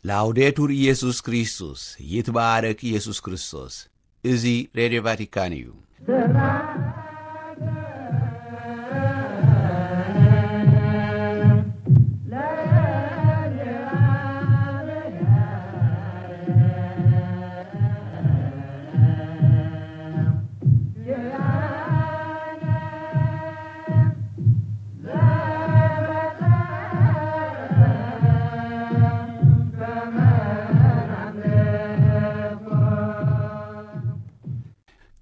ላውዴቱር ኢየሱስ ክርስቶስ፣ ይትባረክ ኢየሱስ ክርስቶስ። እዚ ሬድዮ ቫቲካን እዩ።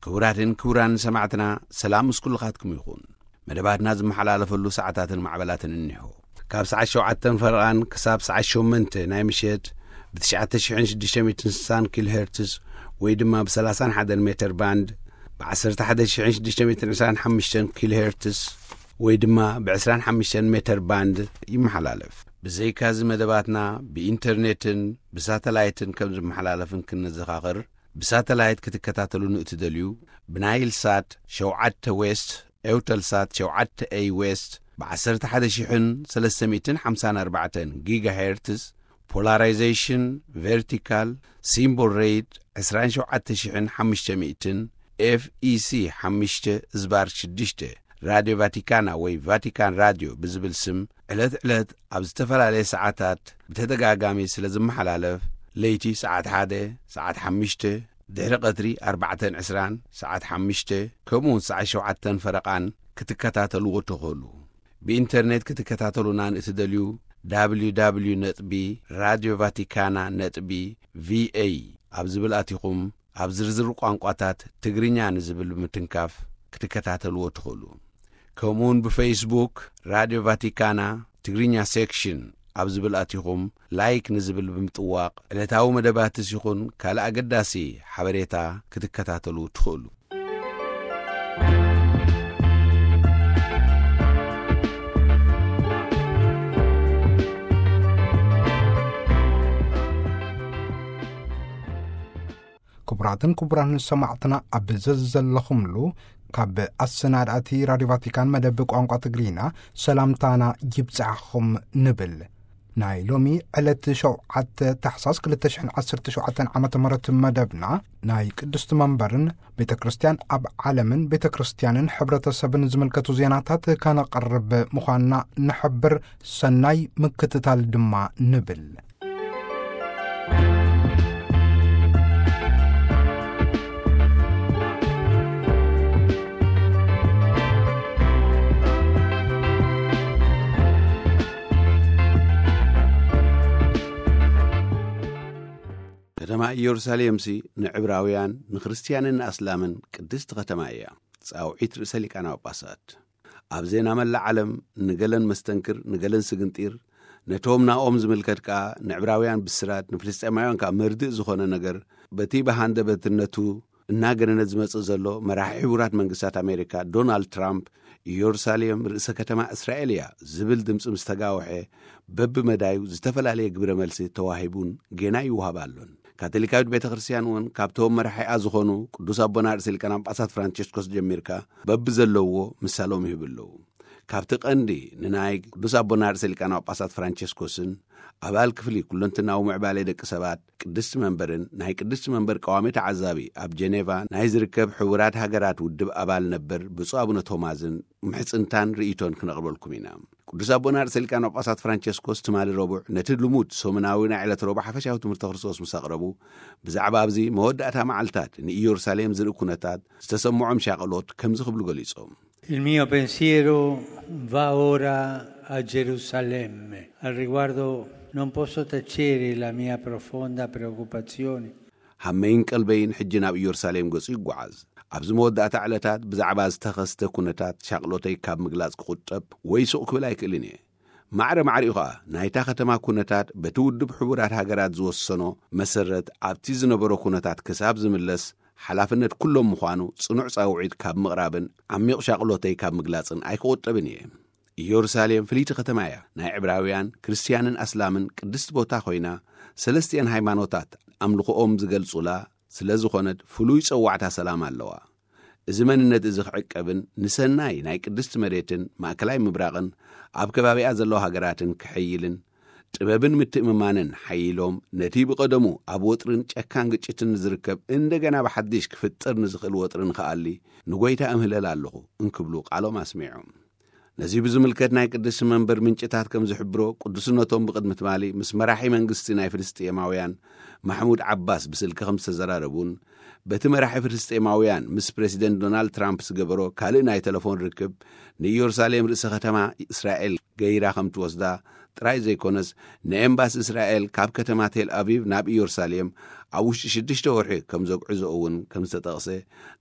ክቡራትን ክቡራን ሰማዕትና፣ ሰላም ምስ ኩልኻትኩም ይኹን። መደባትና ዝመሓላለፈሉ ሰዓታትን ማዕበላትን እኒሆ። ካብ ሰዓት ሸውዓተን ፈረቓን ክሳብ ሰዓት ሸሞንተ ናይ ምሸት ብ ትሽዓተ ሽሕን ሽዱሽተ ሚእትን ስሳን ኪሎ ሄርትስ ወይ ድማ ብ ሰላሳን ሓደን ሜተር ባንድ፣ ብ ዓሰርተ ሓደ ሽሕን ሽዱሽተ ሚእትን ዕስራን ሓሙሽተን ኪሎ ሄርትስ ወይ ድማ ብ ዕስራን ሓሙሽተን ሜተር ባንድ ይመሓላለፍ። ብዘይካዚ መደባትና ብኢንተርኔትን ብሳተላይትን ከም ዝመሓላለፍን ክንዘኻኽር፣ ብሳተላይት ክትከታተሉ ንእትደልዩ፣ ብናይል ሳት ሸውዓተ ዌስት፣ ኤውተል ሳት ሸውዓተ ኤይ ዌስት፣ ብ ዓሰርተ ሓደ ሽሕን ሰለስተ ሚእትን ሓምሳን ኣርባዕተን ጊጋሄርትዝ፣ ፖላራይዜሽን ቨርቲካል፣ ሲምቦል ሬት ዕስራን ሸውዓተ ሽሕን ሓሙሽተ ሚእትን፣ ኤፍ ኢ ሲ ሓሙሽተ ዝባር ሽዱሽተ፣ ራድዮ ቫቲካና ወይ ቫቲካን ራድዮ ብዝብል ስም ዕለት ዕለት ኣብ ዝተፈላለየ ሰዓታት ብተደጋጋሚ ስለ ዝመሓላለፍ፣ ለይቲ ሰዓት ሓደ፣ ሰዓት ሓሙሽተ፣ ድሕሪ ቀትሪ ኣርባዕተን ዕስራን፣ ሰዓት ሓሙሽተ፣ ከምኡውን ሰዓት ሸውዓተን ፈረቓን ክትከታተልዎ ትኽእሉ። ብኢንተርኔት ክትከታተሉና ንእትደልዩ፣ www ነጥቢ ራድዮ ቫቲካና ነጥቢ ቪኤ ኣብ ዝብል ኣቲኹም፣ ኣብ ዝርዝር ቋንቋታት ትግርኛ ንዝብል ብምትንካፍ ክትከታተልዎ ትኽእሉ። ከምኡውን ብፌስቡክ ራድዮ ቫቲካና ትግርኛ ሴክሽን ኣብ ዝብል ኣቲኹም፣ ላይክ ንዝብል ብምጥዋቕ፣ ዕለታዊ መደባትስ ይኹን ካልእ ኣገዳሲ ሓበሬታ ክትከታተሉ ትኽእሉ። ክቡራትን ክቡራን ሰማዕትና፣ ኣብ ዘዘለኹምሉ ካብ ኣሰናዳእቲ ራድዮ ቫቲካን መደብ ቋንቋ ትግርኛ ሰላምታና ይብጻሕኹም ንብል። ናይ ሎሚ ዕለት ሸውዓተ ታሕሳስ ክልተ ሽሕን ዓሰርተ ሸውዓተን ዓመተ ምህረት መደብና፣ ናይ ቅድስቲ መንበርን ቤተ ክርስቲያን ኣብ ዓለምን ቤተ ክርስቲያንን ሕብረተሰብን ዝምልከቱ ዜናታት ከነቕርብ ምዃንና ንሕብር። ሰናይ ምክትታል ድማ ንብል። ከተማ ኢየሩሳሌምሲ ንዕብራውያን፣ ንክርስትያንን ንኣስላምን ቅድስቲ ከተማ እያ። ጻውዒት ርእሰ ሊቃነ ጳጳሳት። ኣብ ዜና መላእ ዓለም፣ ንገለን መስተንክር፣ ንገለን ስግንጢር፣ ነቶም ናኦም ዝምልከት ከኣ ንዕብራውያን ብስራት፣ ንፍልስጤማውያን ከኣ መርድእ ዝኾነ ነገር፣ በቲ ብሃንደበትነቱ እናገነነ ዝመጽእ ዘሎ፣ መራሒ ሕቡራት መንግስታት ኣሜሪካ ዶናልድ ትራምፕ፣ ኢየሩሳሌም ርእሰ ከተማ እስራኤል እያ ዝብል ድምጺ ምስ ተጋውሐ፣ በብመዳዩ ዝተፈላለየ ግብረ መልሲ ተዋሂቡን ጌና ይወሃብ ኣሎን። ካቶሊካዊት ቤተ ክርስቲያን እውን ካብቶም መራሒኣ ዝኾኑ ቅዱስ ኣቦና ርእሰ ሊቃነ ጳጳሳት ፍራንቸስኮስ ጀሚርካ በብዘለውዎ ምሳሎም ይህቡ ኣለዉ። ካብቲ ቀንዲ ንናይ ቅዱስ ኣቦና ርእሰ ሊቃነ ጳጳሳት ፍራንቸስኮስን ኣባል ክፍሊ ኩለንትናዊ ምዕባለ ደቂ ሰባት ቅድስቲ መንበርን ናይ ቅድስቲ መንበር ቀዋሚ ተዓዛቢ ኣብ ጀኔቫ ናይ ዝርከብ ሕቡራት ሃገራት ውድብ ኣባል ነበር ብፁዕ ኣቡነ ቶማዝን ምሕጽንታን ርእይቶን ክነቕርበልኩም ኢና። ቅዱስ ኣቦና ርእሰ ሊቃነ ጳጳሳት ፍራንቸስኮስ ትማሊ ረቡዕ ነቲ ልሙድ ሰሙናዊ ናይ ዕለት ረቡዕ ሓፈሻዊ ትምህርተ ክርስቶስ ምስ ኣቕረቡ፣ ብዛዕባ ኣብዚ መወዳእታ መዓልታት ንኢየሩሳሌም ዝርኢ ኩነታት ዝተሰምዖም ሻቕሎት ከምዚ ክብሉ ገሊጾም። Il mio pensiero va ora a Gerusalemme. Al riguardo non posso tacere la mia profonda preoccupazione. ሃመይን ቀልበይን ሕጂ ናብ ኢየሩሳሌም ገጹ ይጓዓዝ። ኣብዚ መወዳእታ ዕለታት ብዛዕባ ዝተኸስተ ኩነታት ሻቕሎተይ ካብ ምግላጽ ክቑጠብ ወይ ሱቕ ክብል ኣይክእልን እየ። ማዕረ ማዕሪኡ ኸኣ ናይታ ከተማ ኩነታት በቲ ውድብ ሕቡራት ሃገራት ዝወሰኖ መሰረት ኣብቲ ዝነበሮ ኩነታት ክሳብ ዝምለስ ሓላፍነት ኩሎም ምዃኑ ጽኑዕ ጻውዒት ካብ ምቕራብን ዓሚቕ ሻቕሎተይ ካብ ምግላጽን ኣይክቑጠብን እየ። ኢየሩሳሌም ፍልይቲ ከተማ እያ። ናይ ዕብራውያን፣ ክርስትያንን ኣስላምን ቅድስቲ ቦታ ኮይና፣ ሰለስቲኣን ሃይማኖታት ኣምልኾኦም ዝገልጹላ ስለ ዝኾነት ፍሉይ ጸዋዕታ ሰላም ኣለዋ። እዚ መንነት እዚ ክዕቀብን ንሰናይ ናይ ቅድስቲ መሬትን ማእከላይ ምብራቕን ኣብ ከባቢኣ ዘለዋ ሃገራትን ክሕይልን፣ ጥበብን ምትእምማንን ሓይሎም፣ ነቲ ብቐደሙ ኣብ ወጥርን ጨካን ግጭትን ዝርከብ እንደገና ብሓድሽ ክፍጠር ንዝኽእል ወጥሪ ንኽኣሊ ንጎይታ እምህለል ኣለኹ እንክብሉ ቃሎም ኣስሚዖም። ነዚ ብዝምልከት ናይ ቅድስቲ መንበር ምንጭታት ከም ዝሕብሮ፣ ቅዱስነቶም ብቕድሚ ትማሊ ምስ መራሒ መንግስቲ ናይ ፍልስጤማውያን ማሕሙድ ዓባስ ብስልኪ ከም ዝተዘራረቡን፣ በቲ መራሒ ፍልስጤማውያን ምስ ፕሬዚደንት ዶናልድ ትራምፕ ዝገበሮ ካልእ ናይ ተለፎን ርክብ፣ ንኢየሩሳሌም ርእሰ ከተማ እስራኤል ገይራ ከም ትወስዳ ጥራይ ዘይኮነስ፣ ንኤምባሲ እስራኤል ካብ ከተማ ቴል ኣቪቭ ናብ ኢየሩሳሌም ኣብ ውሽጢ ሽዱሽተ ወርሒ ከም ዘጉዕዞ እውን ከም ዝተጠቕሰ፣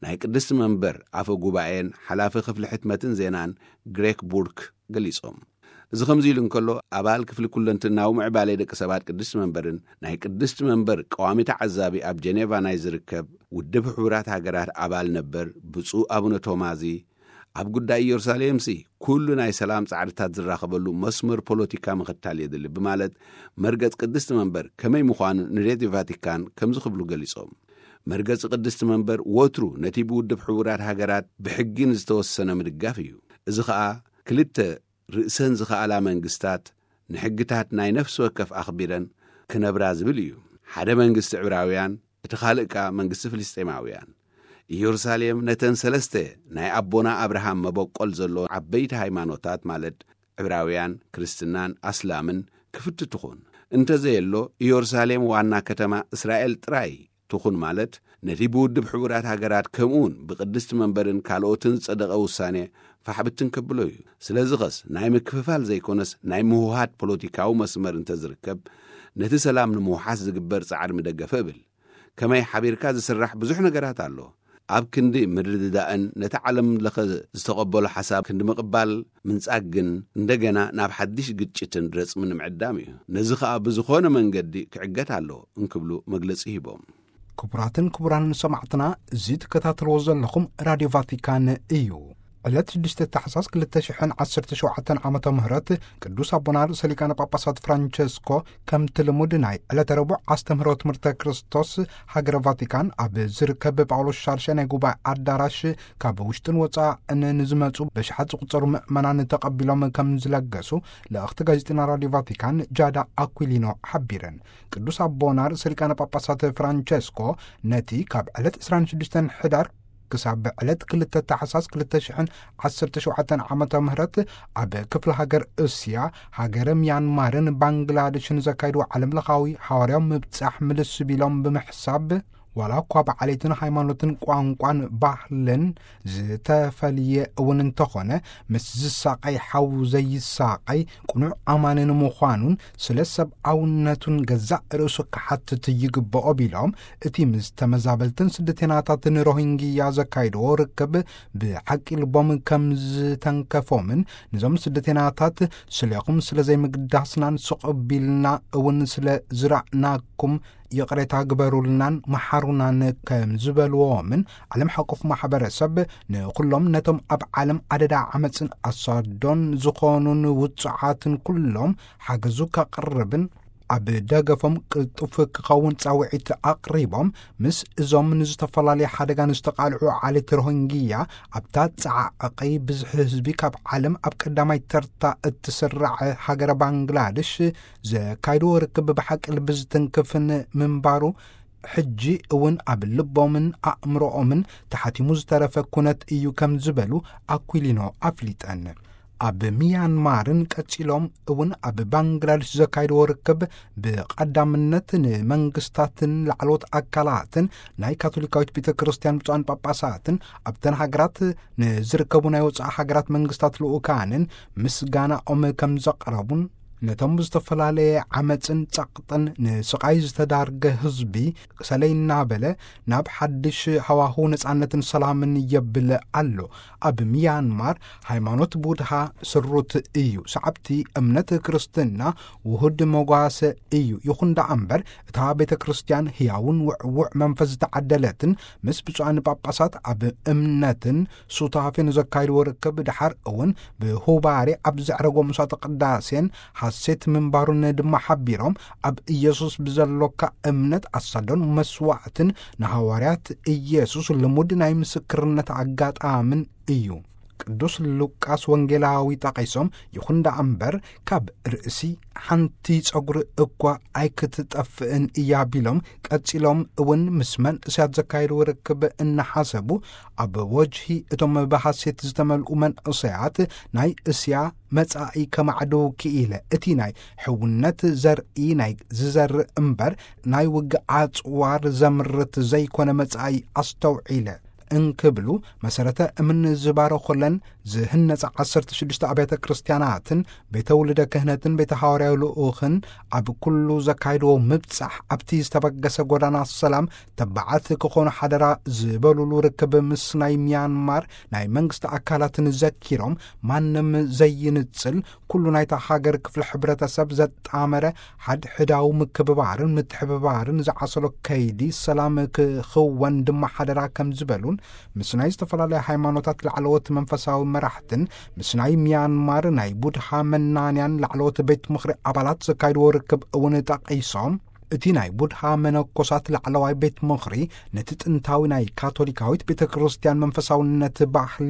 ናይ ቅድስቲ መንበር ኣፈ ጉባኤን ሓላፊ ክፍሊ ሕትመትን ዜናን ግሬክ ቡርክ ገሊጾም። እዚ ከምዚ ኢሉ እንከሎ፣ ኣባል ክፍሊ ኩለንትናዊ ምዕባለ ደቂ ሰባት ቅድስቲ መንበርን ናይ ቅድስቲ መንበር ቀዋሚ ተዓዛቢ ኣብ ጀኔቫ ናይ ዝርከብ ውድብ ሕቡራት ሃገራት ኣባል ነበር ብፁዕ ኣቡነ ቶማዚ፣ ኣብ ጉዳይ ኢየሩሳሌምሲ ኩሉ ናይ ሰላም ጻዕርታት ዝራኸበሉ መስመር ፖለቲካ ምኽታል የድሊ ብማለት፣ መርገጽ ቅድስቲ መንበር ከመይ ምዃኑ ንሬድዮ ቫቲካን ከምዚ ክብሉ ገሊጾም። መርገጺ ቅድስቲ መንበር ወትሩ ነቲ ብውድብ ሕቡራት ሃገራት ብሕጊ ንዝተወሰነ ምድጋፍ እዩ። እዚ ኸኣ ክልተ ርእሰን ዝኸኣላ መንግስታት ንሕግታት ናይ ነፍሲ ወከፍ ኣኽቢረን ክነብራ ዝብል እዩ። ሓደ መንግስቲ ዕብራውያን፣ እቲ ካልእ ከኣ መንግስቲ ፍልስጤማውያን። ኢየሩሳሌም ነተን ሰለስተ ናይ ኣቦና ኣብርሃም መበቆል ዘለዎን ዓበይቲ ሃይማኖታት ማለት ዕብራውያን፣ ክርስትናን ኣስላምን ክፍቲ ትኹን። እንተዘየሎ፣ ኢየሩሳሌም ዋና ከተማ እስራኤል ጥራይ ትኹን ማለት፣ ነቲ ብውድብ ሕቡራት ሃገራት ከምኡውን ብቅድስቲ መንበርን ካልኦትን ዝጸደቐ ውሳኔ ፋሕብትን ከብሎ እዩ። ስለዚ ኸስ ናይ ምክፍፋል ዘይኮነስ ናይ ምውሃድ ፖለቲካዊ መስመር እንተዝርከብ፣ ነቲ ሰላም ንምውሓስ ዝግበር ጻዕሪ ምደገፈ እብል። ከመይ ሓቢርካ ዝስራሕ ብዙሕ ነገራት ኣሎ። ኣብ ክንዲ ምርድዳእን ነቲ ዓለም ለኸ ዝተቐበሎ ሓሳብ ክንዲ ምቕባል ምንጻግ ግን፣ እንደገና ናብ ሓድሽ ግጭትን ረጽምን ምዕዳም እዩ። ነዚ ኸኣ ብዝኾነ መንገዲ ክዕገት ኣለዎ እንክብሉ መግለጺ ሂቦም። ክቡራትን ክቡራንን ሰማዕትና፣ እዚ ትከታተልዎ ዘለኹም ራድዮ ቫቲካን እዩ። ዕለት ሽዱሽተ ታሕሳስ ክልተ ሽሕን ዓሰርተ ሸውዓተን ዓመተ ምህረት ቅዱስ ኣቦና ርእሰ ሊቃነ ጳጳሳት ፍራንቸስኮ ከምቲ ልሙድ ናይ ዕለተ ረቡዕ ኣስተምህሮ ትምህርተ ክርስቶስ ሃገረ ቫቲካን ኣብ ዝርከብ ጳውሎስ ሻድሻይ ናይ ጉባኤ ኣዳራሽ ካብ ውሽጥን ወጻእን ንዝመጹ በሽሓት ዝቑጸሩ ምእመናን ተቐቢሎም ከም ዝለገሱ ልእኽቲ ጋዜጠኛ ራድዮ ቫቲካን ጃዳ ኣኩሊኖ ሓቢረን። ቅዱስ ኣቦና ርእሰ ሊቃነ ጳጳሳት ፍራንቸስኮ ነቲ ካብ ዕለት ዕስራን ሽዱሽተን ሕዳር ክሳብ ዕለት ክልተ ታሕሳስ ክልተ ሽሕን ዓሰርተ ሸውዓተን ዓመተ ምህረት ኣብ ክፍለ ሃገር እስያ፣ ሃገረ ሚያንማርን ባንግላደሽን ዘካየድዎ ዓለም ለኻዊ ሃዋርያዊ ምብጻሕ ምልስ ቢሎም ብምሕሳብ፣ ዋላ እኳ ብዓሌትን ሃይማኖትን ቋንቋን ባህልን ዝተፈልየ እውን እንተኾነ፣ ምስ ዝሳቐይ ሓው ዘይሳቐይ ቅኑዕ ኣማኒ ንምዃኑን ስለ ሰብኣውነቱን ገዛእ ርእሱ ክሓትት ይግብኦ ቢሎም፣ እቲ ምስ ተመዛበልትን ስደተናታትን ሮሂንግያ ዘካየድዎ ርክብ ብሓቂ ልቦም ከም ዝተንከፎምን፣ ነዞም ስደተናታት ስሌኹም ስለ ዘይምግዳስናን ስቕ ቢልና እውን ስለ ዝራእናኩም ይቕሬታ ግበሩልናን መሓሩናን ከም ዝበልዎምን፣ ዓለም ሓቆፍ ማሕበረሰብ ንኹሎም ነቶም ኣብ ዓለም ኣደዳ ዓመፅን ኣሳዶን ዝኾኑን ውጹዓትን ኩሎም ሓገዙ ከቕርብን ኣብ ደገፎም ቅልጡፍ ክኸውን ጻውዒት ኣቕሪቦም፣ ምስ እዞም ንዝተፈላለየ ሓደጋ ንዝተቓልዑ ዓሌት ሮሂንግያ ኣብታ ጻዕቒ ብዝሒ ህዝቢ ካብ ዓለም ኣብ ቀዳማይ ተርታ እትስራዕ ሃገረ ባንግላድሽ ዘካይድዎ ርክብ ብሓቂ ልቢ ዝትንክፍን ምንባሩ፣ ሕጂ እውን ኣብ ልቦምን ኣእምሮኦምን ተሓቲሙ ዝተረፈ ኩነት እዩ ከም ዝበሉ ኣኩሊኖ ኣፍሊጠን። ኣብ ሚያንማርን ቀጺሎም እውን ኣብ ባንግላድሽ ዘካይድዎ ርክብ ብቐዳምነት ንመንግስታትን ላዕለዎት ኣካላትን ናይ ካቶሊካዊት ቤተ ክርስቲያን ብፁዓን ጳጳሳትን ኣብተን ሃገራት ንዝርከቡ ናይ ወጻኢ ሃገራት መንግስታት ልኡካንን ምስጋናኦም ከም ዘቕረቡን፣ ነቶም ብዝተፈላለየ ዓመፅን ጸቕጥን ንስቓይ ዝተዳርገ ህዝቢ ሰለይ እናበለ ናብ ሓድሽ ሃዋሁ ነጻነትን ሰላምን የብል ኣሎ። ኣብ ሚያንማር ሃይማኖት ቡድሃ ስሩት እዩ። ሰዓብቲ እምነት ክርስትና ውሁድ መጓሰ እዩ። ይኹን ደኣ እምበር፣ እታ ቤተ ክርስቲያን ህያውን ውዕዉዕ መንፈስ ዝተዓደለትን ምስ ብፁዓን ጳጳሳት ኣብ እምነትን ሱታፌን ዘካይድዎ ርክብ ድሓር እውን ብሁባሬ ኣብ ዘዕረጎ ምሥዋዕተ ቅዳሴን ሓሴት ምንባሩን ድማ ሓቢሮም፣ ኣብ ኢየሱስ ብዘሎካ እምነት ኣሳዶን መስዋዕትን ንሃዋርያት ኢየሱስ ልሙድ ናይ ምስክርነት ኣጋጣምን እዩ። ቅዱስ ሉቃስ ወንጌላዊ ጠቒሶም፣ ይኹን ደኣ እምበር ካብ ርእሲ ሓንቲ ጸጉሪ እኳ ኣይክትጠፍእን እያ ቢሎም፣ ቀጺሎም እውን ምስ መንእሰያት ዘካየድዎ ርክብ እናሓሰቡ፣ ኣብ ወጅሂ እቶም ብሃሴት ዝተመልኡ መንእሰያት ናይ እስያ መጻኢ ከማዕድው ክኢለ፣ እቲ ናይ ሕውነት ዘርኢ ናይ ዝዘርእ እምበር ናይ ውግእ ኣጽዋር ዘምርት ዘይኮነ መጻኢ ኣስተውዒለ እንክብሉ፣ መሰረተ እምን ዝባረኹለን ዝህነጻ ዓሰርተ ሽዱሽተ ኣብያተ ክርስቲያናትን ቤተ ውልደ ክህነትን ቤተ ሃዋርያዊ ልኡኽን ኣብ ኩሉ ዘካይድዎ ምብጻሕ፣ ኣብቲ ዝተበገሰ ጎዳና ሰላም ተባዓት ክኾኑ ሓደራ ዝበሉሉ ርክብ ምስ ናይ ሚያንማር ናይ መንግስቲ ኣካላትን ዘኪሮም፣ ማንም ዘይንጽል፣ ኩሉ ናይታ ሃገር ክፍሊ ሕብረተሰብ ዘጣመረ ሓድሕዳዊ ምክብባርን ምትሕብባርን ዝዓሰሎ ከይዲ ሰላም ክኽወን ድማ ሓደራ ከም ዝበሉን፣ ምስ ናይ ዝተፈላለያ ሃይማኖታት ላዕለዎት መንፈሳዊ መራሕትን ምስ ናይ ሚያንማር ናይ ቡድሃ መናንያን ላዕለዎት ቤት ምኽሪ ኣባላት ዘካይድዎ ርክብ እውን ጠቒሶም፣ እቲ ናይ ቡድሃ መነኮሳት ላዕለዋይ ቤት ምኽሪ ነቲ ጥንታዊ ናይ ካቶሊካዊት ቤተ ክርስቲያን መንፈሳውነት ባህሊ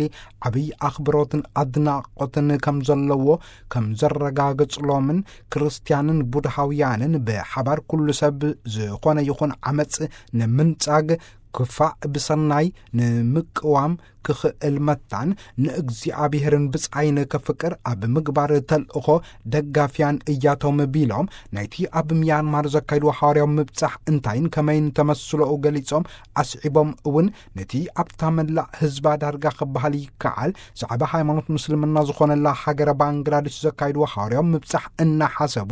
ዓብዪ ኣኽብሮትን ኣድናቖትን ከም ዘለዎ ከም ዘረጋገጽሎምን፣ ክርስቲያንን ቡድሃውያንን ብሓባር ኩሉ ሰብ ዝኾነ ይኹን ዓመጽ ንምንጻግ፣ ክፋእ ብሰናይ ንምቅዋም ክኽእል መታን፣ ንእግዚኣብሔርን ብጻይን ከፍቅር ኣብ ምግባር ተልእኾ ደጋፍያን እያቶም ቢሎም፣ ናይቲ ኣብ ሚያንማር ዘካይድዎ ሓዋርያዊ ምብጻሕ እንታይን ከመይን ተመስሎኡ ገሊጾም፣ ኣስዒቦም እውን ነቲ ኣብታ መላእ ህዝባ ዳርጋ ክበሃል ይከዓል ዛዕባ ሃይማኖት ምስልምና ዝኾነላ ሃገረ ባንግላዴሽ ዘካይድዎ ሓዋርያዊ ምብጻሕ እናሓሰቡ፣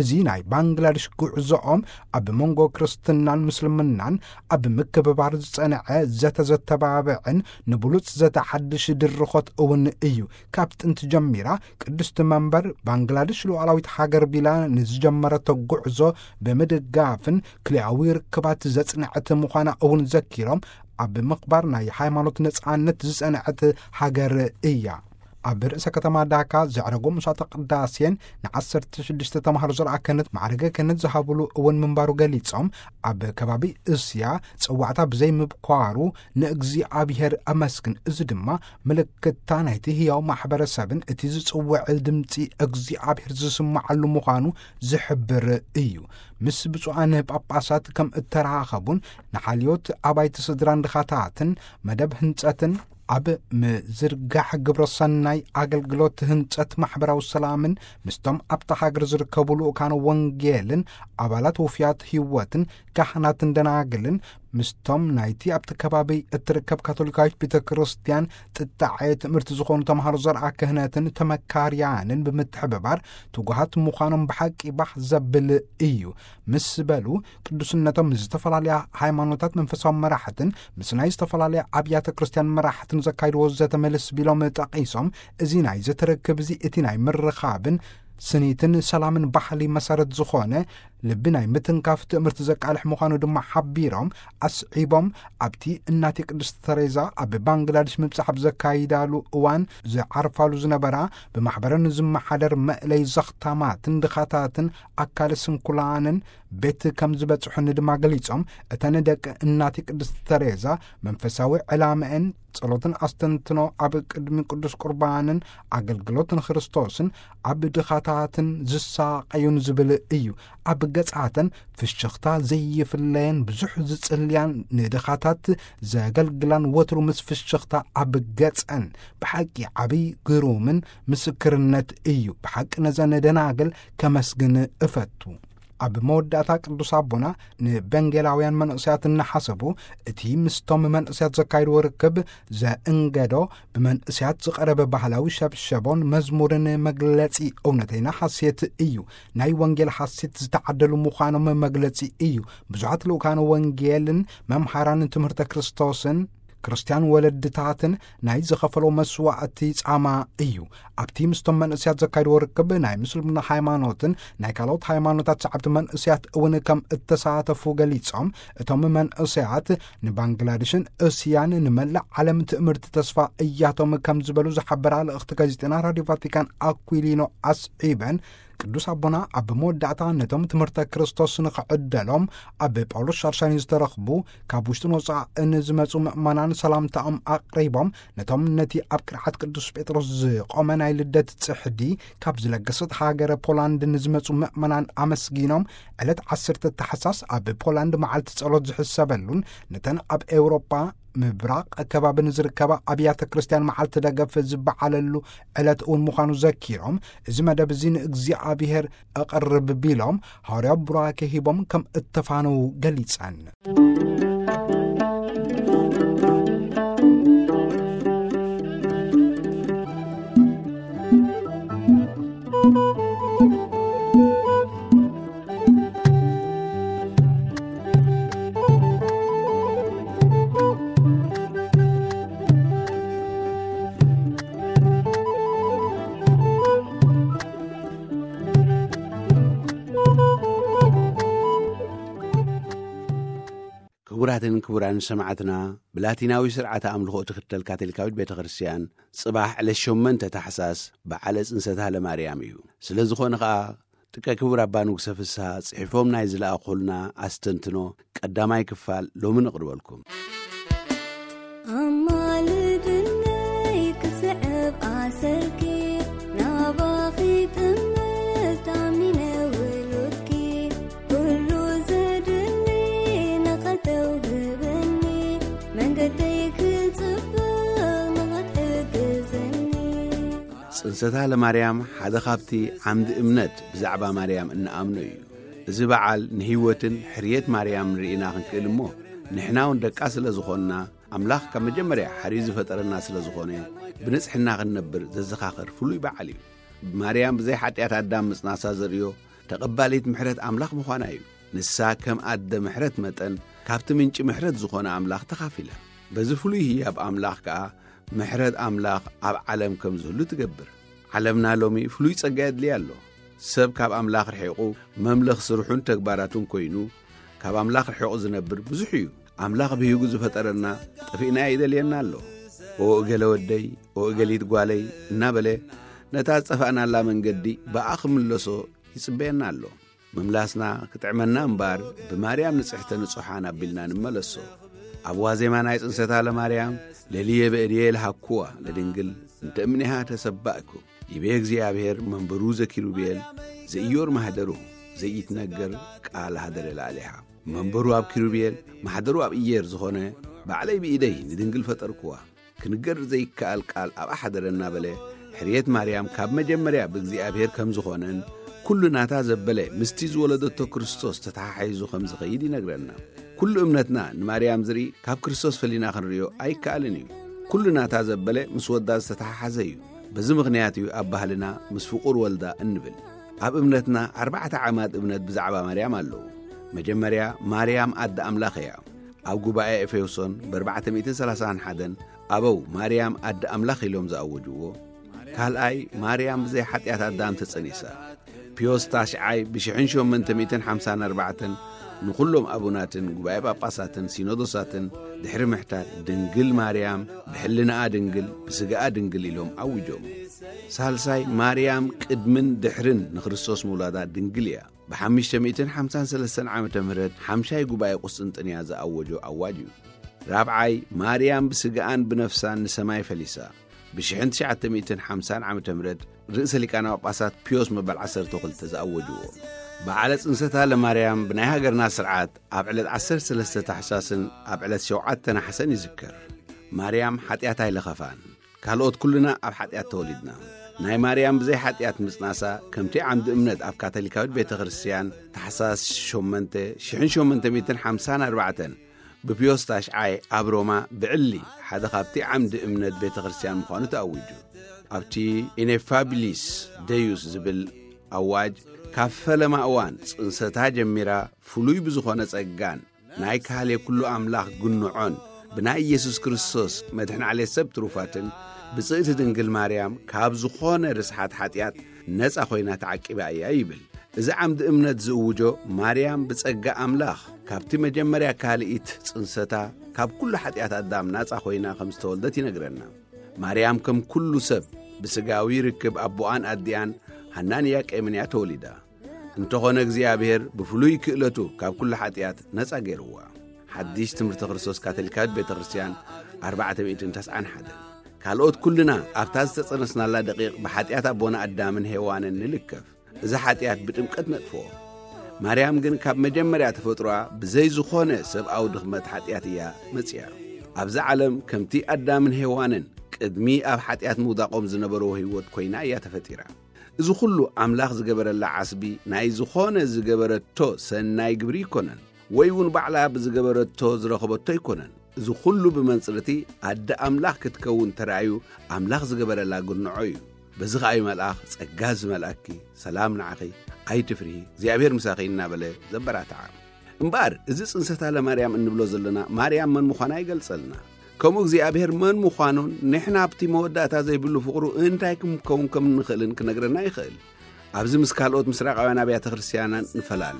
እዚ ናይ ባንግላዴሽ ጉዕዞኦም ኣብ መንጎ ክርስትናን ምስልምናን ኣብ ምክብባር ዝጸንዐ ዘተ ዘተባብዕን ንብሉጽ ዘተ ሓድሽ ድርኾት እውን እዩ። ካብ ጥንቲ ጀሚራ ቅድስቲ መንበር ባንግላዴሽ ሉዓላዊት ሃገር ቢላ ንዝጀመረቶ ጉዕዞ ብምድጋፍን ክልኣዊ ርክባት ዘጽንዐት ምዃና እውን ዘኪሮም፣ ኣብ ምኽባር ናይ ሃይማኖት ነጻነት ዝጸንዐት ሃገር እያ። ኣብ ርእሰ ከተማ ዳካ ዘዕረጎ ምሳተ ቅዳሴን ንዓሰርተ ሽዱሽተ ተምሃሮ ዘርኣ ክህነት ማዕረገ ክህነት ዝሃብሉ እውን ምንባሩ ገሊጾም፣ ኣብ ከባቢ እስያ ጽዋዕታ ብዘይምብኳሩ ንእግዚኣብሔር ኣመስግን። እዚ ድማ ምልክታ ናይቲ ህያው ማሕበረሰብን እቲ ዝጽውዕ ድምጺ እግዚኣብሔር ዝስምዓሉ ምዃኑ ዝሕብር እዩ። ምስ ብፁዓን ጳጳሳት ከም እተራኸቡን ንሓልዮት ኣባይቲ ስድራን ድኻታትን መደብ ህንጸትን ኣብ ምዝርጋሕ ግብረ ሰናይ ኣገልግሎት ህንጸት ማሕበራዊ ሰላምን ምስቶም ኣብታ ሃገር ዝርከቡ ልኡካን ወንጌልን ኣባላት ውፍያት ህይወትን ካህናትን ደናግልን ምስቶም ናይቲ ኣብቲ ከባቢ እትርከብ ካቶሊካዊት ቤተ ክርስቲያን ጥጣዐ ትምህርቲ ዝኾኑ ተምሃሮ ዘርኣ ክህነትን ተመካርያንን ብምትሕብባር ትጉሃት ምዃኖም ብሓቂ ባህ ዘብል እዩ ምስ በሉ፣ ቅዱስነቶም ምስ ዝተፈላለያ ሃይማኖታት መንፈሳዊ መራሕትን ምስ ናይ ዝተፈላለያ ኣብያተ ክርስቲያን መራሕትን ዘካይድዎ ዘተ መልስ ቢሎም ጠቒሶም፣ እዚ ናይ ዘተ ርክብ እዚ እቲ ናይ ምርኻብን ስኒትን ሰላምን ባህሊ መሰረት ዝኾነ ልቢ ናይ ምትንካፍ ትእምርቲ ዘቃልሕ ምዃኑ ድማ ሓቢሮም ኣስዒቦም፣ ኣብቲ እናቴ ቅድስቲ ተሬዛ ኣብ ባንግላዴሽ ምብጻሕ ኣብ ዘካይዳሉ እዋን ዝዓርፋሉ ዝነበራ ብማሕበረን ዝመሓደር መእለይ ዘኽታማትን ድኻታትን ኣካለ ስንኩላንን ቤት ከም ዝበጽሑኒ ድማ ገሊጾም፣ እተን ደቂ እናቴ ቅድስቲ ተሬዛ መንፈሳዊ ዕላመአን ጸሎትን ኣስተንትኖ ኣብ ቅድሚ ቅዱስ ቁርባንን ኣገልግሎት ንክርስቶስን ኣብ ድኻታትን ዝሳቐዩን ዝብል እዩ። ኣብ ገጻተን ፍሽኽታ ዘይፍለየን ብዙሕ ዝጽልያን ንድኻታት ዘገልግላን ወትሩ ምስ ፍሽኽታ ኣብ ገጸን ብሓቂ ዓብይ ግሩምን ምስክርነት እዩ። ብሓቂ ነዘን ደናግል ከመስግን እፈቱ። ኣብ መወዳእታ ቅዱስ ኣቦና ንበንጌላውያን መንእሰያት እናሓሰቡ፣ እቲ ምስቶም መንእሰያት ዘካይድዎ ርክብ ዘእንገዶ ብመንእሰያት ዝቐረበ ባህላዊ ሸብሸቦን መዝሙርን መግለጺ እውነተይና ሓሴት እዩ። ናይ ወንጌል ሓሴት ዝተዓደሉ ምዃኖም መግለጺ እዩ። ብዙሓት ልኡካን ወንጌልን መምሃራንን ትምህርተ ክርስቶስን ክርስትያን ወለድታትን ናይ ዝኸፈሎ መስዋእቲ ጻማ እዩ። ኣብቲ ምስቶም መንእሰያት ዘካይድዎ ርክብ ናይ ምስልምና ሃይማኖትን ናይ ካልኦት ሃይማኖታት ሰዓብቲ መንእሰያት እውን ከም እተሳተፉ ገሊጾም፣ እቶም መንእሰያት ንባንግላዴሽን እስያን ንመላእ ዓለም ትእምርቲ ተስፋ እያቶም ከም ዝበሉ ዝሓበራ ልእኽቲ ጋዜጠና ራድዮ ቫቲካን ኣኩሊኖ ኣስዒበን፣ ቅዱስ ኣቦና ኣብ መወዳእታ ነቶም ትምህርተ ክርስቶስ ንኽዕደሎም ኣብ ጳውሎስ ሻርሻኒ ዝተረኽቡ ካብ ውሽጥን ወጻእን ዝመጹ ምእመናን ሰላምታኦም ኣቕሪቦም፣ ነቶም ነቲ ኣብ ቅርዓት ቅዱስ ጴጥሮስ ዝቖመ ናይ ልደት ጽሕዲ ካብ ዝለገሰት ሃገረ ፖላንድ ንዝመጹ ምእመናን ኣመስጊኖም፣ ዕለት ዓሰርተ ታሕሳስ ኣብ ፖላንድ መዓልቲ ጸሎት ዝሕሰበሉን ነተን ኣብ ኤውሮጳ ምብራቕ ከባቢ ንዝርከባ ኣብያተ ክርስቲያን መዓልቲ ደገፍ ዝበዓለሉ ዕለት እውን ምዃኑ ዘኪሮም፣ እዚ መደብ እዚ ንእግዚኣብሔር ኣቐርብ ቢሎም፣ ሃዋርያዊ ቡራኬ ሂቦም ከም እተፋነዉ ገሊጸን። ክቡራትን ክቡራን ሰማዕትና፣ ብላቲናዊ ስርዓተ ኣምልኾ እትኽተል ካቶሊካዊት ቤተ ክርስቲያን፣ ጽባሕ ዕለት ሸሞንተ ታሕሳስ በዓለ ጽንሰታ ለማርያም እዩ። ስለ ዝኾነ ኸኣ፣ ጥቀ ክቡር ኣባ ንጉሰ ፍስሃ ጽሒፎም ናይ ዝለኣኹልና ኣስተንትኖ ቀዳማይ ክፋል ሎሚ ነቕርበልኩም። ኣማልድነይ ክስዕብ ኣሰርኪ፣ ናባኺ ጥምት ኣሚነ ውሉድኪ፣ ኩሉ ዘድሊ ንኸተውህበኒ፣ መንገደይ ክጽብቕ ንኸትሕግዘኒ። ጽንሰታ ለማርያም ሓደ ካብቲ ዓምዲ እምነት ብዛዕባ ማርያም እንኣምኖ እዩ። እዚ በዓል ንህይወትን ሕርየት ማርያም ርኢና ክንክእል እሞ፣ ንሕና እውን ደቃ ስለ ዝኾንና፣ ኣምላኽ ካብ መጀመርያ ሓርዩ ዝፈጠረና ስለ ዝኾነ፣ ብንጽሕና ክንነብር ዘዘኻኽር ፍሉይ በዓል እዩ። ብማርያም ብዘይ ሓጢኣት ኣዳም ምጽናሳ ዘርእዮ ተቐባሊት ምሕረት ኣምላኽ ምዃና እዩ። ንሳ ከም ኣደ ምሕረት መጠን ካብቲ ምንጪ ምሕረት ዝኾነ ኣምላኽ ተኻፊላ። በዚ ፍሉይ ህያብ ኣምላኽ ከኣ ምሕረት ኣምላኽ ኣብ ዓለም ከም ዝህሉ ትገብር። ዓለምና ሎሚ ፍሉይ ጸጋ የድልያ ኣሎ። ሰብ ካብ ኣምላኽ ርሒቑ መምለኽ ስርሑን ተግባራቱን ኮይኑ ካብ ኣምላኽ ርሒቑ ዝነብር ብዙሕ እዩ። ኣምላኽ ብሂጉ ዝፈጠረና ጠፊእና ይደልየና ኣሎ። "ኦ እገለ ወደይ፣ ኦ እገሊት ጓለይ" እናበለ ነታ ዝጠፋእናላ መንገዲ ብኣ ክምለሶ ይጽበየና ኣሎ። ምምላስና ክጥዕመና እምበር፣ ብማርያም ንጽሕተ ንጹሓን ኣቢልና ንመለሶ። ኣብ ዋዜማ ናይ ጽንሰታ ለማርያም፣ "ለልየ በእድየ ለሃኩዋ ለድንግል እንተ እምኔሃ ተሰባእኩ፣ ይቤ እግዚኣብሔር መንበሩ ዘኪሩቤል ዘኢዮር ማህደሩ ዘይትነገር ቃል ሃደረ ለኣሌሃ። መንበሩ ኣብ ኪሩቤል ማሕደሩ ኣብ ኢየር ዝኾነ ባዕለይ ብኢደይ ንድንግል ፈጠርኩዋ። ክንገር ዘይከኣል ቃል ኣብኣ ሓደረ" እናበለ፣ ሕርየት ማርያም ካብ መጀመርያ ብእግዚኣብሔር ከም ዝኾነን፣ ኩሉ ናታ ዘበለ ምስቲ ዝወለደቶ ክርስቶስ ተተሓሒዙ ከም ዝኸይድ ይነግረና። ኩሉ እምነትና ንማርያም ዝርኢ ካብ ክርስቶስ ፈሊና ክንርእዮ ኣይከኣልን እዩ። ኩሉ ናታ ዘበለ ምስ ወዳ ዝተተሓሓዘ እዩ። በዚ ምኽንያት እዩ ኣብ ባህልና ምስ ፍቑር ወልዳ እንብል። ኣብ እምነትና ኣርባዕተ ዓማድ እምነት ብዛዕባ ማርያም ኣለዉ። መጀመርያ ማርያም ኣደ ኣምላኽ እያ። ኣብ ጉባኤ ኤፌሶን ብ ኣርባዕተ ሚእትን ሰላሳን ሓደን ኣበው ማርያም ኣደ ኣምላኽ ኢሎም ዝኣወጅዎ። ካልኣይ፣ ማርያም ብዘይ ሓጢኣት ኣዳም ተጸኒሳ። ፒዮስ ታሽዓይ ብ ሽሕን ሸሞንተ ሚእትን ሓምሳን ኣርባዕተን ንኹሎም ኣቡናትን ጉባኤ ጳጳሳትን ሲኖዶሳትን ድሕሪ ምሕታት፣ ድንግል ማርያም ብሕልናኣ ድንግል ብስጋኣ ድንግል ኢሎም ኣውጆም። ሳልሳይ፣ ማርያም ቅድምን ድሕርን ንክርስቶስ ምውላዳ ድንግል እያ። ብ ሓሙሽተ ሚእትን ሓምሳን ሰለስተን ዓመተ ምህረት ሓምሻይ ጉባኤ ቁስጥንጥንያ ዝኣወጆ ኣዋጅ እዩ። ራብዓይ፣ ማርያም ብስጋኣን ብነፍሳን ንሰማይ ፈሊሳ። ብ ሽሕን ትሽዓተ ሚእትን ሓምሳን ዓመተ ምህረት ርእሰ ሊቃነ ጳጳሳት ፒዮስ መበል ዓሰርተ ክልተ ዝኣወጅዎ። በዓለ ጽንሰታ ለማርያም ብናይ ሃገርና ስርዓት ኣብ ዕለት ዓሰርተ ሰለስተ ታሕሳስን ኣብ ዕለት ሸውዓተ ነሓሰን ይዝከር። ማርያም ሓጢኣት ኣይለኸፋን። ካልኦት ኩልና ኣብ ሓጢኣት ተወሊድና። ናይ ማርያም ብዘይ ሓጢኣት ምጽናሳ፣ ከምቲ ዓምዲ እምነት ኣብ ካቶሊካዊት ቤተ ክርስቲያን፣ ታሕሳስ ሸሞንተ፣ ሽሕን ሸሞንተ ሚእትን ሓምሳን ኣርባዕተን ብፒዮስ ታሽዓይ ኣብ ሮማ ብዕሊ ሓደ ካብቲ ዓምዲ እምነት ቤተ ክርስቲያን ምዃኑ ተኣዊጁ። ኣብቲ ኢኔፋቢሊስ ደዩስ ዝብል ኣዋጅ፣ ካብ ፈለማ እዋን ጽንሰታ ጀሚራ ፍሉይ ብዝኾነ ጸጋን ናይ ካህሌ ኩሉ ኣምላኽ ግንዖን ብናይ ኢየሱስ ክርስቶስ መድሕን ዓሌት ሰብ ትሩፋትን ብጽእቲ ድንግል ማርያም ካብ ዝኾነ ርስሓት ሓጢኣት ነጻ ኮይና ተዓቂባ እያ ይብል። እዚ ዓምዲ እምነት ዝእውጆ፣ ማርያም ብጸጋ ኣምላኽ ካብቲ መጀመርያ ካልኢት ጽንሰታ ካብ ኩሉ ሓጢኣት ኣዳም ናጻ ኮይና ከም ዝተወልደት ይነግረና። ማርያም ከም ኩሉ ሰብ ብስጋዊ ርክብ ኣቦኣን ኣዲኣን ሃናን ኢያቄምን እያ ተወሊዳ። እንተኾነ እግዚኣብሔር ብፍሉይ ክእለቱ ካብ ኩሉ ሓጢኣት ነጻ ገይርዋ። ሓድሽ ትምህርቲ ክርስቶስ ካቶሊካዊት ቤተ ክርስቲያን ኣርባዕተ ሚእትን ተስዓን ሓደን። ካልኦት ኩልና ኣብታ ዝተጸነስናላ ደቂቕ ብሓጢኣት ኣቦና ኣዳምን ሄዋንን ንልከፍ። እዚ ሓጢኣት ብጥምቀት ነጥፍኦ። ማርያም ግን ካብ መጀመርያ ተፈጥሮኣ ብዘይ ዝኾነ ሰብኣዊ ድኽመት ሓጢኣት እያ መጺኣ። ኣብዚ ዓለም ከምቲ ኣዳምን ሄዋንን ቅድሚ ኣብ ሓጢኣት ምውዳቖም ዝነበርዎ ህይወት ኮይና እያ ተፈጢራ። እዚ ኩሉ ኣምላኽ ዝገበረላ ዓስቢ ናይ ዝኾነ ዝገበረቶ ሰናይ ግብሪ ኣይኮነን፣ ወይ እውን ባዕላ ብዝገበረቶ ዝረኸበቶ ኣይኮነን። እዚ ኩሉ ብመንጽር እቲ ኣደ ኣምላኽ ክትከውን ተራእዩ ኣምላኽ ዝገበረላ ግርንዖ እዩ። በዚ ኸኣ እዩ መልኣኽ፣ "ጸጋ ዝመልኣኪ፣ ሰላም ንዓኺ፣ ኣይትፍርሂ፣ እግዚኣብሔር ምሳኺ" እናበለ ዘበራትዓ። እምበኣር፣ እዚ ጽንሰታ ለማርያም እንብሎ ዘለና፣ ማርያም መን ምዃና ይገልጸልና። ከምኡ እግዚኣብሔር መን ምዃኑን ንሕና ኣብቲ መወዳእታ ዘይብሉ ፍቕሩ እንታይ ክንከውን ከም እንኽእልን ክነግረና ይኽእል። ኣብዚ ምስ ካልኦት ምስራቃውያን ኣብያተ ክርስቲያናን ንፈላለ።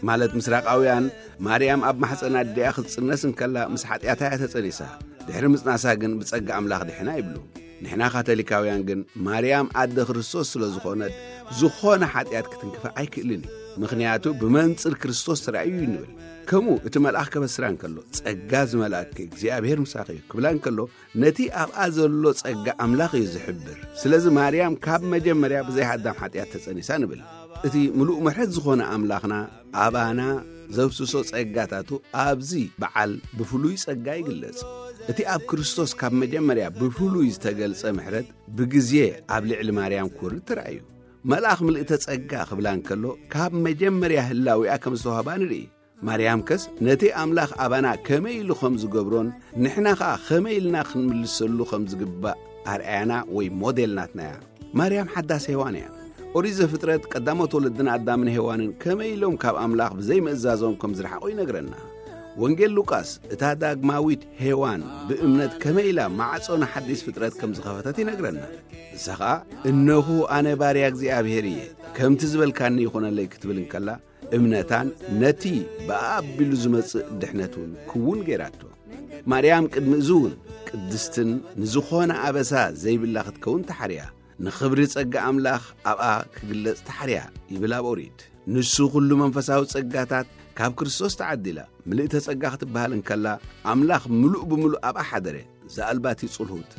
ማለት ምስራቃውያን፣ ማርያም ኣብ ማሕፀን ኣዲኣ ክትጽነስ እንከላ ምስ ሓጢኣታ እያ ተጸኒሳ። ድሕሪ ምጽናሳ ግን ብጸጋ ኣምላኽ ድሒና ይብሉ። ንሕና ካቶሊካውያን ግን ማርያም ኣደ ክርስቶስ ስለ ዝኾነት፣ ዝኾነ ሓጢኣት ክትንክፋ ኣይክእልን እዩ። ምኽንያቱ ብመንጽር ክርስቶስ ተራእዩ እዩ ንብል። ከምኡ እቲ መልኣኽ ከበስራ እንከሎ፣ "ጸጋ ዝመልኣኪ እግዚኣብሔር ምሳኺ እዩ" ክብላ እንከሎ፣ ነቲ ኣብኣ ዘሎ ጸጋ ኣምላኽ እዩ ዝሕብር። ስለዚ ማርያም ካብ መጀመርያ ብዘይ ኣዳም ሓጢኣት ተጸኒሳ ንብል። እቲ ምሉእ ምሕረት ዝኾነ ኣምላኽና ኣባና ዘፍስሶ ጸጋታቱ ኣብዚ በዓል ብፍሉይ ጸጋ ይግለጽ። እቲ ኣብ ክርስቶስ ካብ መጀመርያ ብፍሉይ ዝተገልጸ ምሕረት ብግዜ ኣብ ልዕሊ ማርያም ክወርድ ተራእዩ። መልኣኽ ምልእተ ጸጋ ክብላ እንከሎ፣ ካብ መጀመርያ ህላዊኣ ከም ዝተዋህባ ንርኢ። ማርያም ከስ ነቲ ኣምላኽ ኣባና ከመይ ኢሉ ከም ዝገብሮን ንሕና ኸኣ ከመይ ኢልና ክንምልሰሉ ከም ዝግባእ ኣርኣያና ወይ ሞዴል ናትና እያ። ማርያም ሓዳስ ሄዋን እያ። ኦሪት ዘፍጥረት ቀዳሞት ወለድና ኣዳምን ሄዋንን ከመይ ኢሎም ካብ ኣምላኽ ብዘይምእዛዞም ከም ዝረሓቑ ይነግረና። ወንጌል ሉቃስ እታ ዳግማዊት ሄዋን ብእምነት ከመይ ኢላ ማዕጾ ንሓዲስ ፍጥረት ከም ዝኸፈተት ይነግረና። ንሳ ኸኣ፣ "እነሆ ኣነ ባርያ እግዚኣብሔር እየ፣ ከምቲ ዝበልካኒ ይኹነለይ" ክትብል እንከላ፣ እምነታን ነቲ ብኣቢሉ ዝመጽእ ድሕነት እውን ክውን ገይራቶ። ማርያም ቅድሚ እዚ እውን ቅድስትን ንዝኾነ ኣበሳ ዘይብላ ክትከውን ተሓርያ፣ ንኽብሪ ጸጋ ኣምላኽ ኣብኣ ክግለጽ ተሓርያ ይብል ኣብ ኦሪት። ንሱ ኩሉ መንፈሳዊ ጸጋታት ካብ ክርስቶስ ተዓዲላ፣ ምልእተ ጸጋ ክትበሃል እንከላ፣ ኣምላኽ ምሉእ ብምሉእ ኣብኣ ሓደረ፣ ዘኣልባቲ ጽልሁት፣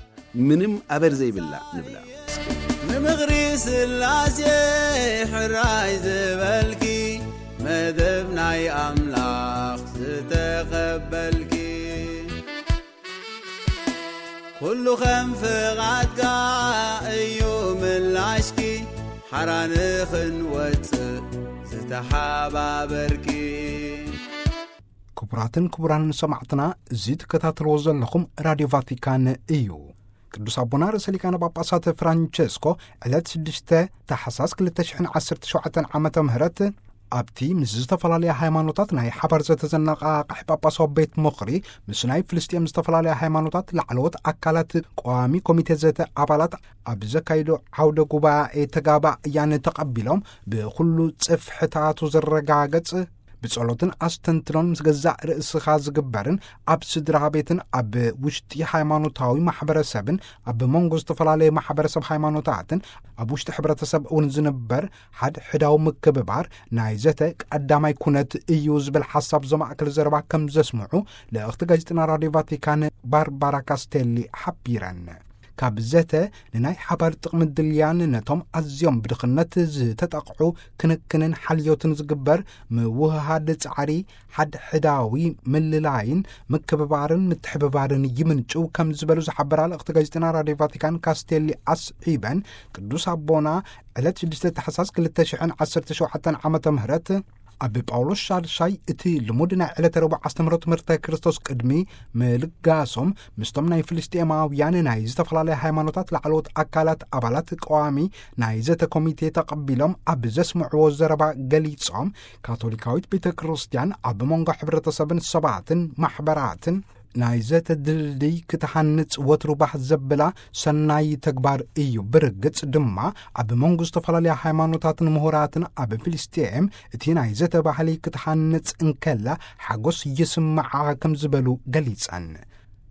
ምንም ኣበር ዘይብላ ንብላ። ንምኽሪ ስላሴ ሕራይ ዝበልኪ፣ መደብ ናይ ኣምላኽ ዝተቐበልኪ፣ ኩሉ ከም ፍቓድካ እዩ ምላሽኪ፣ ሓራ ንኽንወጽእ ዝተሓባበርኪ። ክቡራትን ክቡራንን ሰማዕትና፣ እዚ ትከታተልዎ ዘለኹም ራድዮ ቫቲካን እዩ። ቅዱስ ኣቦና ርእሰ ሊቃነ ጳጳሳት ፍራንቸስኮ ዕለት ሽዱሽተ ታሕሳስ ክልተ ሽሕን ዓሰርተ ሸውዓተን ዓመተ ምህረት ኣብቲ ምስ ዝተፈላለያ ሃይማኖታት ናይ ሓባር ዘተ ዘነቓቕሕ ጳጳሳዊ ቤት ምኽሪ፣ ምስ ናይ ፍልስጤም ዝተፈላለያ ሃይማኖታት ላዕለዎት ኣካላት ቀዋሚ ኮሚቴ ዘተ ኣባላት ኣብ ዘካይዶ ዓውደ ጉባኤ ተጋባእያን ተቐቢሎም፣ ብኹሉ ጽፍሕታቱ ዝረጋገጽ ብጸሎትን ኣስተንትኖን ምስ ገዛእ ርእስኻ ዝግበርን ኣብ ስድራ ቤትን ኣብ ውሽጢ ሃይማኖታዊ ማሕበረሰብን ኣብ መንጎ ዝተፈላለዩ ማሕበረሰብ ሃይማኖታትን ኣብ ውሽጢ ሕብረተሰብ እውን ዝንበር ሓድ ሕዳዊ ምክብባር ናይ ዘተ ቀዳማይ ኩነት እዩ ዝብል ሓሳብ ዘማእከል ዘረባ ከም ዘስምዑ ልእኽቲ ጋዜጠና ራድዮ ቫቲካን ባርባራ ካስቴሊ ሓቢረን። ካብ ዘተ ንናይ ሓባር ጥቕሚ ድልያን ነቶም ኣዝዮም ብድኽነት ዝተጠቕዑ ክንክንን ሓልዮትን ዝግበር ምውህሃድ ጻዕሪ ሓድሕዳዊ ምልላይን ምክብባርን ምትሕብባርን ይምንጭው ከም ዝበሉ ዝሓበራ ልእኽቲ ጋዜጠና ራድዮ ቫቲካን ካስቴሊ ኣስዒበን፣ ቅዱስ ኣቦና ዕለት ሽዱሽተ ታሕሳስ ክልተ ሽሕን ዓሰርተ ሸውዓተን ዓመተ ምህረት ኣብ ጳውሎስ ሻድሻይ እቲ ልሙድ ናይ ዕለተ ረቡዕ ኣስተምህሮ ትምህርተ ክርስቶስ ቅድሚ ምልጋሶም ምስቶም ናይ ፍልስጤማውያን ናይ ዝተፈላለያ ሃይማኖታት ላዕለዎት ኣካላት ኣባላት ቀዋሚ ናይ ዘተ ኮሚቴ ተቐቢሎም ኣብ ዘስምዕዎ ዘረባ ገሊጾም፣ ካቶሊካዊት ቤተ ክርስቲያን ኣብ መንጎ ሕብረተሰብን ሰባትን ማሕበራትን ናይ ዘተ ድልድይ ክትሃንጽ ወትሩ ባህ ዘብላ ሰናይ ተግባር እዩ። ብርግጽ ድማ ኣብ መንጎ ዝተፈላለያ ሃይማኖታትን ምሁራትን ኣብ ፍልስጤም እቲ ናይ ዘተ ባህሊ ክትሃንጽ እንከላ ሓጎስ ይስምዓ ከም ዝበሉ ገሊጸን።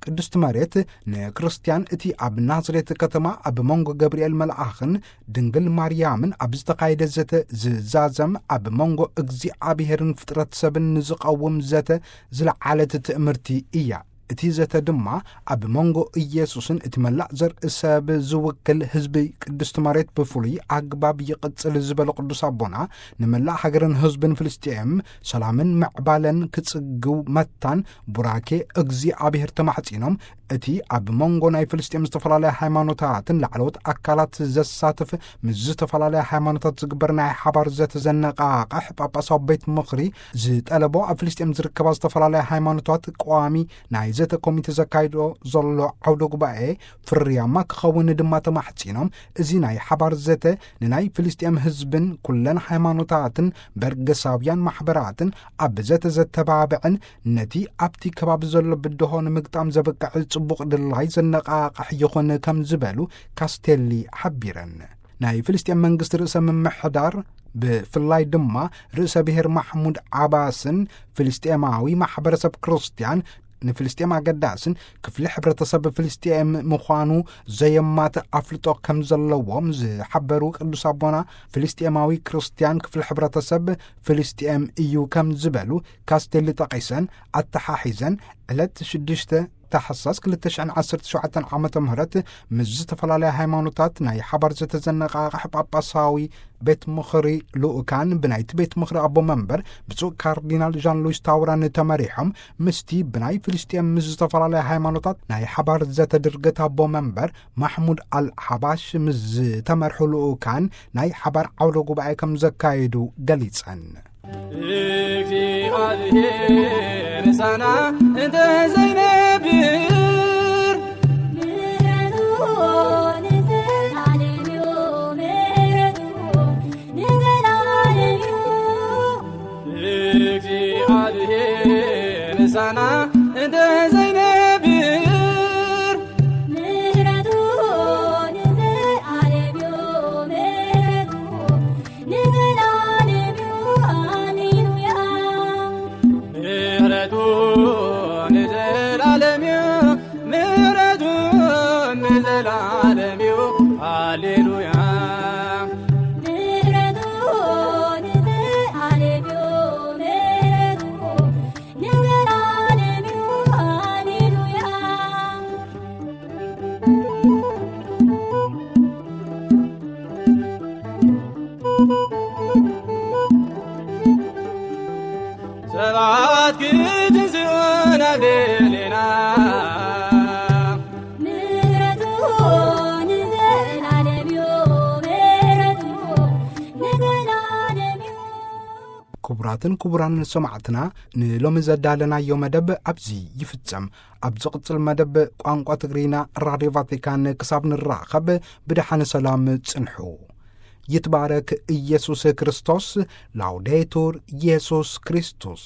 ቅድስቲ መሬት ንክርስቲያን እቲ ኣብ ናዝሬት ከተማ ኣብ መንጎ ገብርኤል መልኣኽን ድንግል ማርያምን ኣብ ዝተኻየደ ዘተ ዝዛዘም ኣብ መንጎ እግዚኣብሔርን ፍጥረት ሰብን ንዝቐውም ዘተ ዝለዓለት ትእምርቲ እያ። እቲ ዘተ ድማ ኣብ መንጎ ኢየሱስን እቲ መላእ ዘርኢ ሰብ ዝውክል ህዝቢ ቅድስቲ መሬት ብፍሉይ ኣግባብ ይቕጽል ዝበለ ቅዱስ ኣቦና፣ ንመላእ ሃገርን ህዝብን ፍልስጤም ሰላምን ምዕባለን ክጽግው መታን ቡራኬ እግዚኣብሔር ተማሕጺኖም፣ እቲ ኣብ መንጎ ናይ ፍልስጤም ዝተፈላለያ ሃይማኖታትን ላዕለዎት ኣካላት ዘሳትፍ ምስ ዝተፈላለያ ሃይማኖታት ዝግበር ናይ ሓባር ዘተ ዘነቓቕሕ ጳጳሳዊ ቤት ምኽሪ ዝጠለቦ ኣብ ፍልስጤም ዝርከባ ዝተፈላለያ ሃይማኖታት ቀዋሚ ናይ ዘተ ኮሚቴ ዘካይዶ ዘሎ ዓውደ ጉባኤ ፍርያማ ክኸውን ድማ ተማሕጺኖም፣ እዚ ናይ ሓባር ዘተ ንናይ ፍልስጤም ህዝብን ኩለን ሃይማኖታትን በርገሳውያን ማሕበራትን ኣብ ዘተ ዘተባብዕን ነቲ ኣብቲ ከባቢ ዘሎ ብድሆ ንምግጣም ዘበቅዕ ጽቡቕ ድላይ ዘነቓቕሕ ይኹን ከም ዝበሉ ካስቴሊ ሓቢረን። ናይ ፍልስጤም መንግስቲ ርእሰ ምምሕዳር ብፍላይ ድማ ርእሰ ብሔር ማሕሙድ ዓባስን ፍልስጤማዊ ማሕበረሰብ ክርስትያን ንፍልስጤም ኣገዳስን ክፍሊ ሕብረተሰብ ፍልስጤም ምዃኑ ዘየማትእ ኣፍልጦ ከም ዘለዎም ዝሓበሩ ቅዱስ ኣቦና፣ ፍልስጤማዊ ክርስትያን ክፍሊ ሕብረተሰብ ፍልስጤም እዩ ከም ዝበሉ ካስቴሊ ጠቒሰን ኣተሓሒዘን፣ ዕለት ሽዱሽተ ታሕሳስ ክልተ ሽሕን ዓሰርተ ሸውዓተን ዓመተ ምህረት ምስ ዝተፈላለያ ሃይማኖታት ናይ ሓባር ዘተ ዘነቓቕሕ ጳጳሳዊ ቤት ምኽሪ ልኡካን ብናይቲ ቤት ምኽሪ ኣቦ መንበር ብፁዕ ካርዲናል ዣን ሉዊስ ታውራን ተመሪሖም ምስቲ ብናይ ፍልስጤም ምስ ዝተፈላለያ ሃይማኖታት ናይ ሓባር ዘተ ድርገት ኣቦ መንበር ማሕሙድ ኣል ሓባሽ ምስ ዝተመርሑ ልኡካን ናይ ሓባር ዓውደ ጉባኤ ከም ዘካየዱ ገሊጸን። እግዚኣብሔር ምሳና እንተ ዘይነብር፣ ምሕረቱ ንዘለዓለም እዩ፣ ምሕረቱ ንዘለዓለም እዩ። እግዚኣብሔር ምሳና እንተ ዘይነብር፣ ምሕረቱ ንዘለዓለም እዩ፣ ምሕረቱ ንዘለዓለም እዩ፣ ሃሌሉያ። ምሕረቱ ንዘለዓለም እዩ፣ ምሕረቱ ንዘለዓለም እዩ፣ ሃሌሉያ። ምሕረቱ ንዘለዓለም እዩ፣ ምሕረቱ ንዘለዓለም እዩ፣ ሃሌሉያ። ሰባት ክትንስኡ ናብ ልዕሌና። ምሕረቱ ንዘለዓለም እዩ፣ ምሕረቱ ንዘለዓለም እዩ። ክቡራትን ክቡራን ሰማዕትና፣ ንሎሚ ዘዳለናዮ መደብ ኣብዚ ይፍጸም። ኣብ ዝቕጽል መደብ ቋንቋ ትግርኛ ራድዮ ቫቲካን ክሳብ ንራኸብ ብደሓን ሰላም ጽንሑ። ይትባረክ ኢየሱስ ክርስቶስ። ላውዴቱር ኢየሱስ ክርስቶስ።